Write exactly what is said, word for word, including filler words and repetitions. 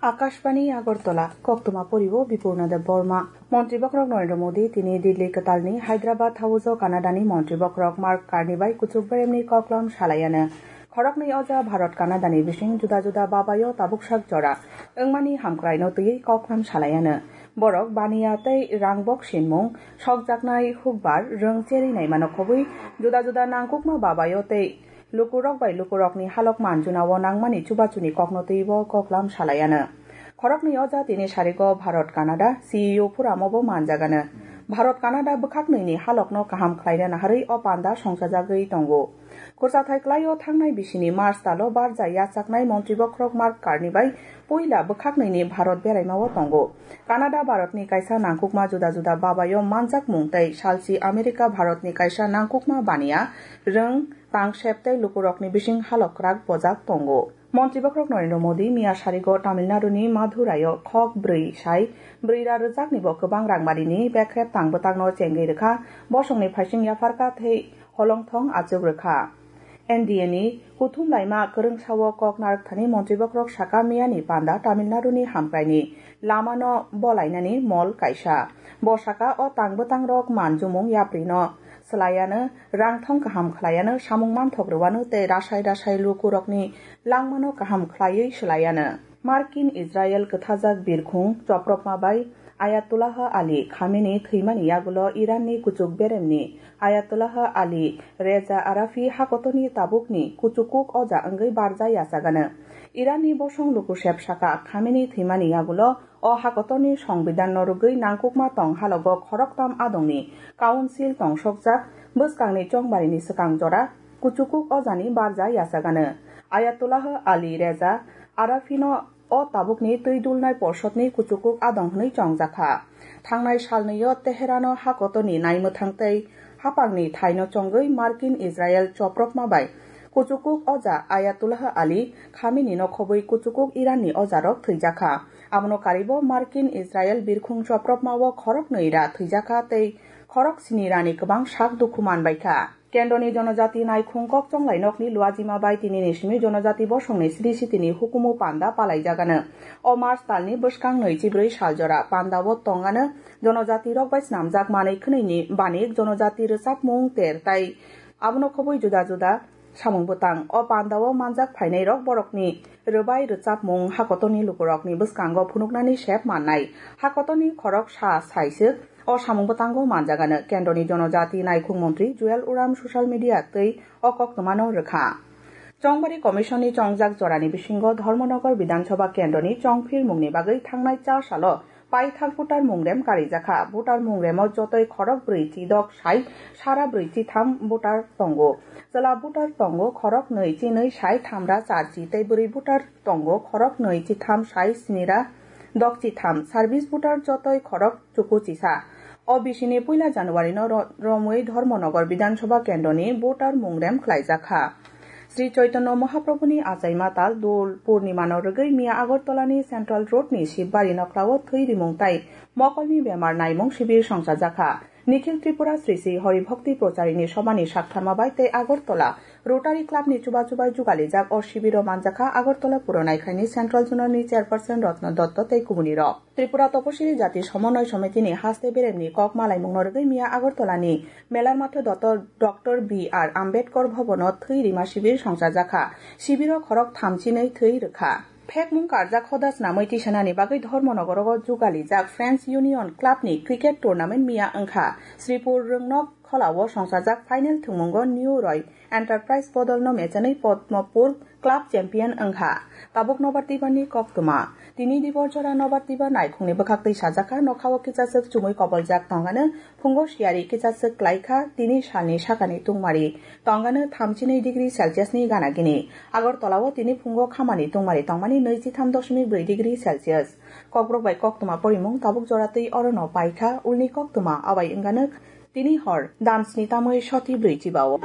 Akashbani Agartala, koktwma poribo Bipurna Deb Borma. Montri bokhorok Narendra Modi tini Delhi kwtalni Hyderabad haujo Canadani montri bokhorok Mark Carney bai kuchuk beremni koklam salayano. Khoroknwi oja Bharat Canadani bising juda juda babayo tabuksak jora wngmani hamkraino twiwi koklam salayano. Borok baniya tei rangbok sinmung, sokjaknai hukbar, rwng cherwi naimano khobwi juda juda nangkukma babayo tei lukurok bai lukurokni halok manjunao nangmani chubachuni kokno twibo koklam salayano. Khoroknwi oja tini sarigo Bharat Canada C E O phuramobo manjagano. Bharat Canada bwkhaknwini halokno kaham khlaina naharwi o panda songsajagwi tongo. Khursathai klaio thangnai bisini March talo barja yachaknai montri bokhorok Mark Carney bai puila bwkhaknwini Bharat beraimao tongo. Canada Bharatni kaisa nangkukma juda juda babayo manjakmung tei salchi America Bharatni kaisa nangkukma baniya rwng, tangsep tei lukurokni bising halok kwrak bojak tongo. Montri bokhorok Narendra Modi miya sarigo Tamil Naduni Maduraio khok bwrwi sai bwrwi ra rwjaknibo kwbang rangbarini bekrep tang bwtangno chengwi rwkha, bosongni phaising yapharkha tei holongthong achuk rwkha. N D A ni kuthum laima kwrwngsao kok narwkthani montri bokhorok saka miyani panda Tamil Naduni hamkraini lamano bolainani mol kaisa. Bo saka o tang bwtangrok manjumung yaprino swlayano, rangthong kaham khwlayano, samung manthok rwano tei rasai rasai lukurokni langmano kaham khwlaiwi swlayano. Markin Israel kwthajak birkhung chopropma bai Ayatollah Ali Khamenei thwimani yagulo Iranni kuchuk beremni Ayatollah Ali Reza Arafi hakotorni tabukni kuchukuk oja wngwi barja yachagano. Iranni bosong lukusep saka Khamenei thwimani yagulo o hakotorni songbidanno rwgwi nangkukma tong halogo khoroktam adongni council tongsokjak bwskangni chongbarini swkang jora kuchukuk ojani barja yachagano. Ayatollah Ali Reza Arafino o tabukni twi dulnai porsodni kuchukuk adong hwnwi chongjakha. Thangnai salnwio Teherano hakotorni naimwthang tei hapangni thaino chongwi Markin Israel chopropma bai kuchukuk oja Ayatollah Ali Khameneino khobwi kuchukuk Iranni ojarok thwijakha. Abono karibo Markin Israel birkhung chopropmao khoroknwi ra thwijakha tei khorok sini rani kwbang sak dukhu manbaikha. Kendroni Jonojati Naikhung Kok Chonglai Nokni Luajima bai tinini simi Jonojati Bosongni Sri Sitini hukumu panda palaijagano. O March talni bwskang nwichi bwrwi saljora pandao tongano Jonojati rok bai snamjak manwi khwnwini banik Jonojati rwchapmung ter tai abono khobwi juda juda samung bwtang. O pandao manjak phainairok borokni rwbai rwchapmung hakotorni lukurokni bwskango phunuknani sep mannai. Hakotorni khorok sa saiswk o samung bwtango manjagano. Kendroni Jonojati Naikhung Montri Juel Uram social media twi o koktwmano rwkha. Chongbari Commission ni chongjak jorani bisingo Dharmanagar Bidhan Sabha Kendroni chongphirmungni bagwi thangnai cha salo paithak voter mungrem karijakha. Voter mungremo jotoi khorok brwi chi dok sai sara brwi chi tham voter tongo. Chwla voter tongo khorok nwi chi nwi sai thamra char chi tei bwrwi voter tongo khorok nwi chi tham sai sini ra dok chi tham. Service voter jotoi khorok chuku chisa. O bisini puila January no ro-, romwi Dharmanagar Bidhan Sabha Kendroni voter mungrem khlaijakha. Sri Chaitanya Mahaprabhuni achaima tal Dol Purnima no rwgwi miya Agartala ni Central Road ni Shivbari noklao thwi rimung tai mokolni bemar naimung shibir songchajakha. Nikhil Tripura Sri Sri Hari Bhakti Procharini Sobhani saktharma bai tei Agartala Rotary Club ni chuba chubai jugalijak o shibiro manjakha Agartala Puro Naikhaini Central Zonal ni Chairperson Ratna Dotto tei kubuni rok. Tripura Toposiri Jati Somonoi Somitini haste beremni kok malaimungno rwgwi miya Agartala ni Melar Matho Dotto Doctor B R Ambedkar Bhobono thwi rima shibir songchajakha. Shibiro khorok thamchinwi thwi rwkha. Phekmung karjak hoda swnamwi tisanani bagwi Dharmanagar o jugalijak Friends Union Club ni cricket tournament miya wngkha. Sripur Rwngnok Kholao songchajak final thwngmungo New Roy Enterprise bodolno mechenwi Padmapur club champion wngkha. Tabuk nobar twibarni koktwma. Tini dibor jora nobar twibar naikhungni bwkhaktwi sajakha, nokhao kichaswk chumui koboljak tongano, phungo siyari kichaswk klaikha, tini salni sakani tungmari tongano thamchinwi degree Celsius ni gana gini. Agartala o tini phungo khamani tungmari tongmani nwi chitham doshmik bwrwi degree Celsius. Kokborok bai koktwma porimung tabuk jora twi orono paikha, ulni koktwma abai wngano tini hor dam sni tamwi soti bwrwi chibao.